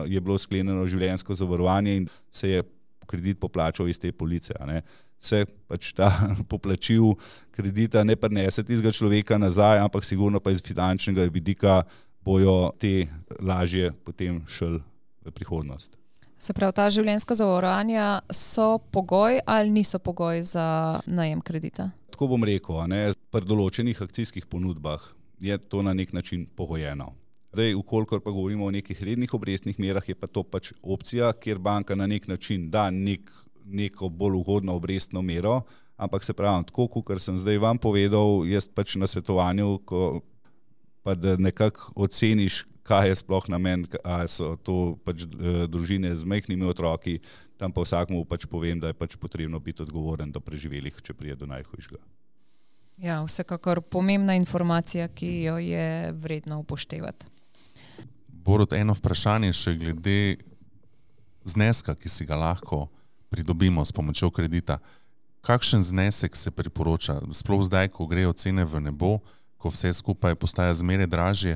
je bilo sklenjeno življenjsko zavarovanje in se je kredit poplačal iz te police. Se pač ta poplačil kredita ne prinese tistega človeka nazaj, ampak sigurno pa iz finančnega vidika bojo te lažje potem šli v prihodnost. Se pravi, ta življenjska zavarovanja so pogoj ali niso pogoj za najem kredita? Tako bom rekel, pri določenih akcijskih ponudbah je to na nek način pogojeno. Zdaj, ukolikor pa govorimo o nekih rednih obrestnih merah, je pa to pač opcija, kjer banka na nek način da neko bolj ugodno obrestno mero, ampak se pravim, tako kot sem zdaj vam povedal, jaz pač na svetovanju, pa da nekako oceniš, kaj je sploh namen, ali so to pač družine z majhnimi otroki, tam pa vsakmu pač povem, da je pač potrebno biti odgovoren do preživelih, če prije do najhujšega. Ja, vsekakor pomembna informacija, ki jo je vredno upoštevati. Borut, eno vprašanje še glede zneska, ki si ga lahko pridobimo s pomočjo kredita. Kakšen znesek se priporoča? Sploh zdaj, ko grejo cene v nebo, ko vse skupaj postaja zmeraj dražje,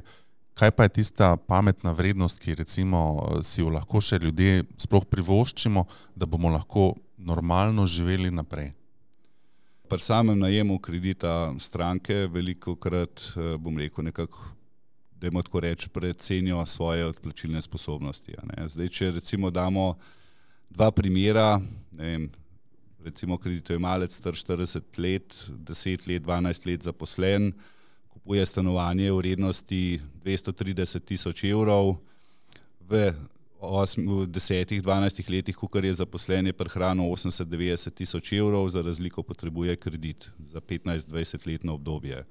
kaj pa je tista pametna vrednost, ki recimo si jo lahko še ljudje sploh privoščimo, da bomo lahko normalno živeli naprej? Pri samem najemu kredita stranke velikokrat, bom rekel, nekako, dajmo tako reči, precenijo svoje odplačilne sposobnosti. Zdaj, če recimo damo dva primera, ne vem, recimo kreditojemalec star 40 let, 10 let, 12 let zaposlen, kupuje stanovanje v vrednosti 230 000 evrov, v 10-12 letih, kakor je zaposlen, je prihranil 80-90 000 evrov, za razliko potrebuje kredit za 15-20 letno obdobje.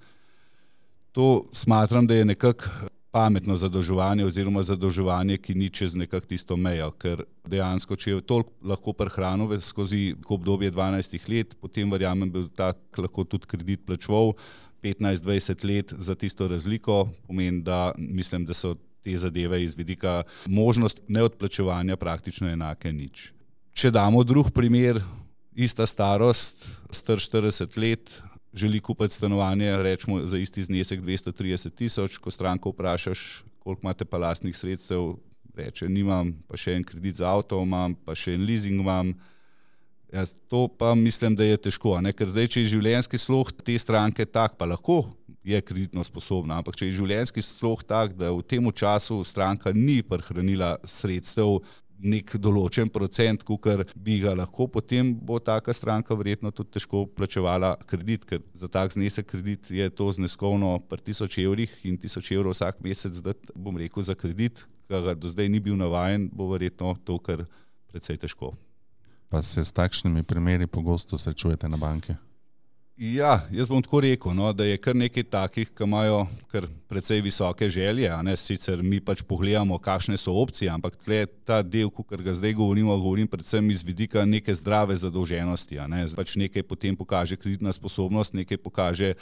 To smatram, da je nekako pametno zadolževanje oziroma zadolževanje, ki ni čez nekako tisto mejo, ker dejansko, če je toliko lahko prihranil skozi obdobje 12 let, potem verjamem, bi tak lahko tudi kredit plačeval 15-20 let za tisto razliko, pomeni, da mislim, da so te zadeve iz vidika možnost neodplačevanja praktično enake nič. Če damo drug primer, ista starost, star 40 let, želi kupiti stanovanje, rečemo za isti znesek 230 000, ko stranko vprašaš, koliko imate pa lastnih sredstev, reče, nimam, pa še en kredit za avto imam, pa še en leasing imam. To pa mislim, da je težko, ker zdaj, če je življenjski slog te stranke tak, pa lahko je kreditno sposobna, ampak če je življenjski slog tak, da v tem času stranka ni prihranila sredstev nek določen procent, kakor bi ga lahko, potem bo taka stranka verjetno tudi težko plačevala kredit, ker za tak znesek kredit je to zneskovno pri 1000 evrih in 1000 evrov vsak mesec dati, bom rekel, za kredit, ki ga do zdaj ni bil navajen, bo verjetno to kar precej težko. Pa se s takšnimi primeri pogosto srečujete na banki? Ja, jaz bom tako rekel, da je kar nekaj takih, ki imajo kar precej visoke želje, sicer mi pač pogledamo, kakšne so opcije, ampak tle ta del, kakor ga zdaj govorim predvsem iz vidika neke zdrave zadolženosti, pač nekaj potem pokaže kreditna sposobnost, nekaj pokaže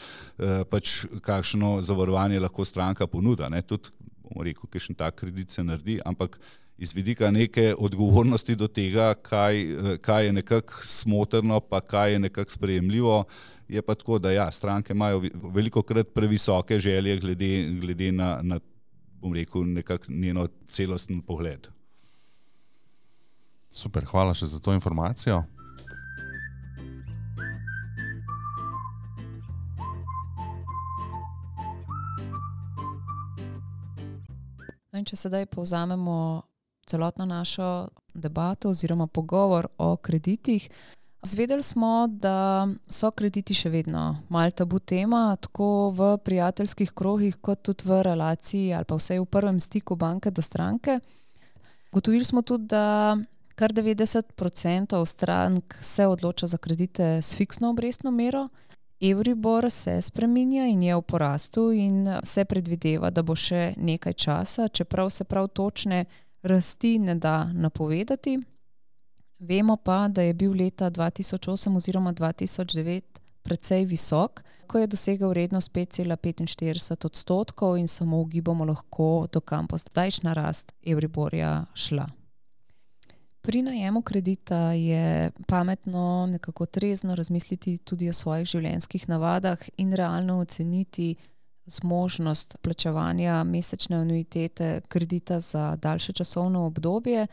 pač kakšno zavarovanje lahko stranka ponuda, tudi, bom rekel, kakšen tak kredit se naredi, ampak iz vidika neke odgovornosti do tega, kaj je nekako smotrno, pa kaj je nekako sprejemljivo, je pa tako, da ja, stranke imajo velikokrat previsoke želje glede na bom rekel, nekako njeno celosten pogled. Super, hvala še za to informacijo. In če sedaj povzamemo celotno našo debato oziroma pogovor o kreditih, zvedeli smo, da so krediti še vedno malo tabu tema, tako v prijateljskih krogih, kot tudi v relaciji ali pa vsaj v prvem stiku banke do stranke. Ugotovili smo tudi, da kar 90% strank se odloča za kredite s fiksno obrestno mero. Euribor se spreminja in je v porastu in se predvideva, da bo še nekaj časa, čeprav se prav točne rasti ne da napovedati. Vemo pa, da je bil leta 2008 oziroma 2009 precej visok, ko je dosegel vrednost 5,45% in samo ugibamo lahko, do kam bo zdajšnja rast Euriborja šla. Pri najemu kredita je pametno nekako trezno razmisliti tudi o svojih življenjskih navadah in realno oceniti zmožnost plačevanja mesečne anuitete kredita za daljše časovno obdobje,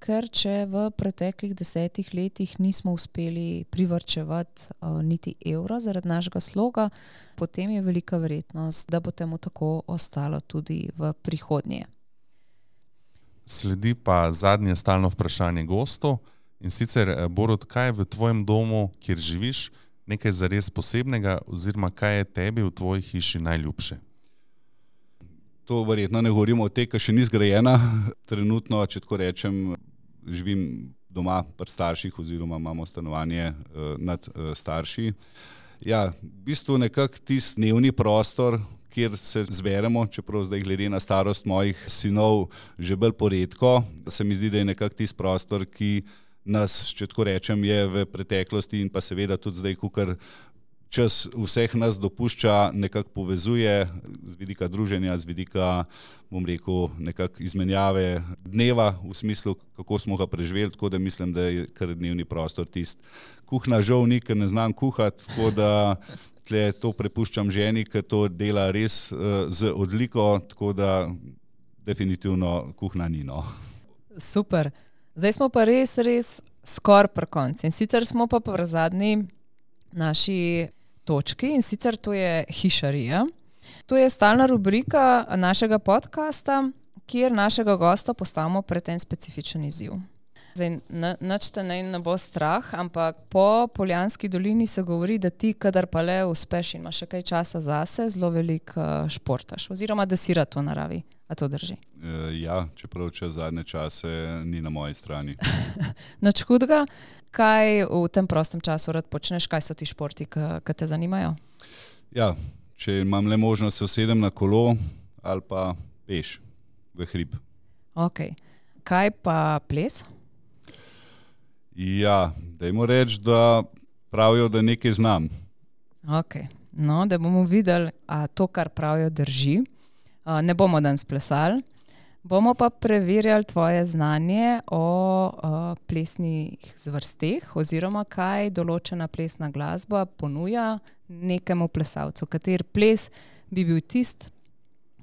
ker če v preteklih 10 letih nismo uspeli privarčevati niti evra zaradi našega sloga, potem je velika verjetnost, da bo temu tako ostalo tudi v prihodnje. Sledi pa zadnje stalno vprašanje gostov in sicer, Borut, kaj je v tvojem domu, kjer živiš, nekaj zares posebnega oziroma kaj je tebi v tvoji hiši najljubše? To verjetno ne govorimo o tej, ki še ni zgrajena. Trenutno, če tako rečem, živim doma pri starših oziroma imamo stanovanje nad starši. Ja, v bistvu nekako tisti dnevni prostor, kjer se zberemo, čeprav zdaj glede na starost mojih sinov že bolj poredko. Se mi zdi, da je nekako tisti prostor, ki nas, če tako rečem, je v preteklosti in pa seveda tudi zdaj, kukar čas vseh nas dopušča, nekako povezuje z vidika druženja, z vidika, bom rekel, nekako izmenjave dneva v smislu, kako smo ga preživeli, tako da mislim, da je kar dnevni prostor tisti. Kuhna žal ni, ker ne znam kuhati, tako da tle to prepuščam ženi, ker to dela res z odliko, tako da definitivno kuhna ni, no. Super. Zdaj smo pa res skoraj pri koncu. In sicer smo pa pri zadnji naši točki in sicer to je hišarija. To je stalna rubrika našega podcasta, kjer našega gosta postavimo pred en specifičen izziv. Zdaj, nič te ne bo strah, ampak po Poljanski dolini se govori, da ti, kadar pa le uspeš in imaš še kaj časa zase, zelo veliko športaš. Oziroma, da si rad v naravi. A to drži? Ja, čeprav čez zadnje čase ni na moji strani. Nič hudega. Kaj v tem prostem času rad počneš? Kaj so ti športi, ki te zanimajo? Ja, če imam le možnost, se usedem na kolo ali pa peš v hrib. Ok. Kaj pa ples? Ja, dajmo reči, da pravijo, da nekaj znam. Ok. No, da bomo videli, a to, kar pravijo, drži. Ne bomo danes plesali, bomo pa preverjali tvoje znanje o plesnih zvrsteh oziroma kaj določena plesna glasba ponuja nekemu plesalcu. Kater ples bi bil tist,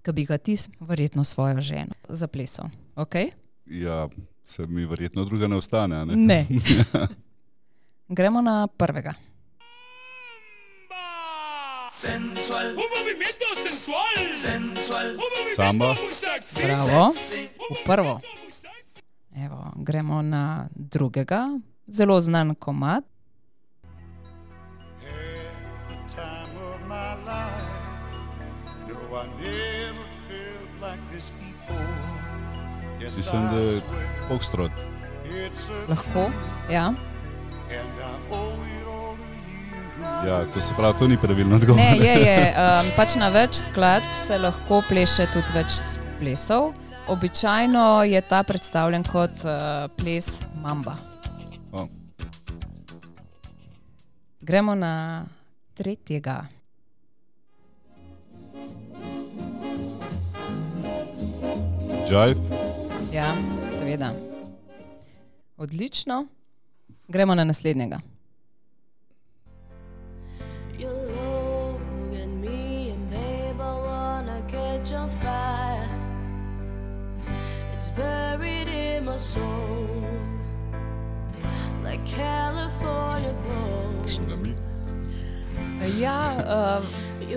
ki bi ga ti verjetno svojo ženo zaplesal. Okay? Ja, se mi verjetno druga ne ostane, a ne? Ne. Gremo na prvega. Sensual, un movimiento sensual, sensual, un movimiento Samba. muy sexy. Bravo. Sexy. V prvo. Evo, gremo na drugega. Zelo znan komad. At the time of my life, no, I never felt like this before. Yes, Mislim, da je Foxtrot. it's a Lahko? Ja. and I owe it all to you. Ja, to se pravi, to ni pravilno odgovor. Ne, je. Pač na več skladb se lahko pleše tudi več plesov. Običajno je ta predstavljen kot ples mamba. O, Gremo na tretjega. Jive. Ja, seveda. Odlično. Gremo na naslednjega. You look at me and babe, I wanna catch on fire. It's buried in my soul, like California gold. Ja,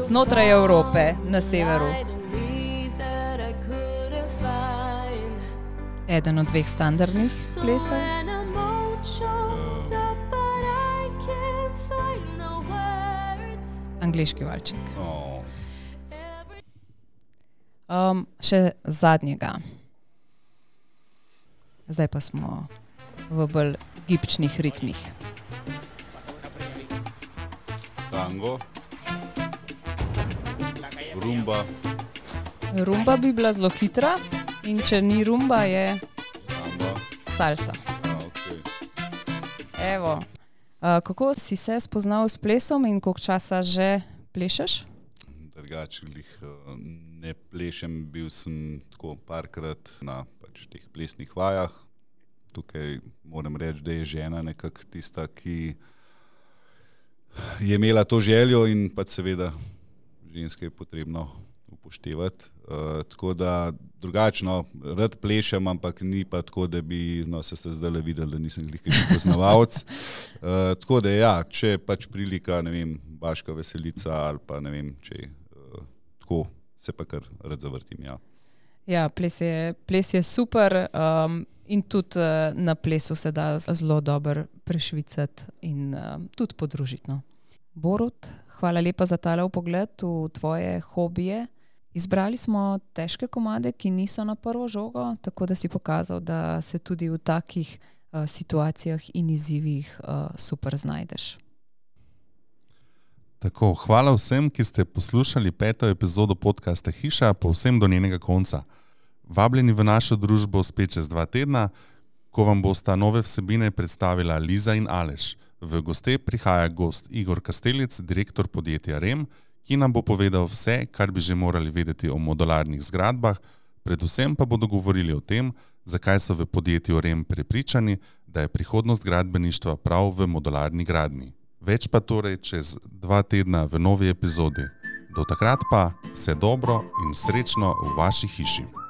znotraj Evrope, na severu. Eden od dveh standardnih plesov. Angleški valček. O, Še zadnjega. Zdaj pa smo v bolj gibčnih ritmih. tango. Rumba. Rumba bi bila zelo hitra in če ni rumba, je Samba. salsa. Ja, okay. Evo, kako si se spoznal s plesom in koliko časa že plešeš? Drugače ne plešem, bil sem tako parkrat na pač teh plesnih vajah. Tukaj moram reči, da je žena nekako tista, ki je imela to željo in pač seveda ženske je potrebno upoštevati. Tako da drugačno, rad plešem, ampak ni pa tako, da bi, no se ste zdaj videli, da nisem glih poznavalec. Tako da ja, če pač prilika, ne vem, Baška veselica ali pa ne vem, če tako se pa kar rad zavrtim, ja. Ja, ples je super in tudi na plesu se da zelo dobro prešvicati in tudi podružiti. No. Borut, hvala lepa za tale vpogled v tvoje hobije. Izbrali smo težke komade, ki niso na prvo žogo, tako da si pokazal, da se tudi v takih situacijah in izzivih super znajdeš. Tako, hvala vsem, ki ste poslušali 5. epizodo podcasta Hiša, povsem do njenega konca. Vabljeni v našo družbo spet čez 2 tedna, ko vam bosta nove vsebine predstavila Liza in Aleš. V goste prihaja gost Igor Kastelic, direktor podjetja REM, ki nam bo povedal vse, kar bi že morali vedeti o modularnih zgradbah, predvsem pa bodo govorili o tem, zakaj so v podjetju REM prepričani, da je prihodnost gradbeništva prav v modularni gradnji. Več pa torej čez 2 tedna v novi epizodi. Do takrat pa vse dobro in srečno v vaši hiši.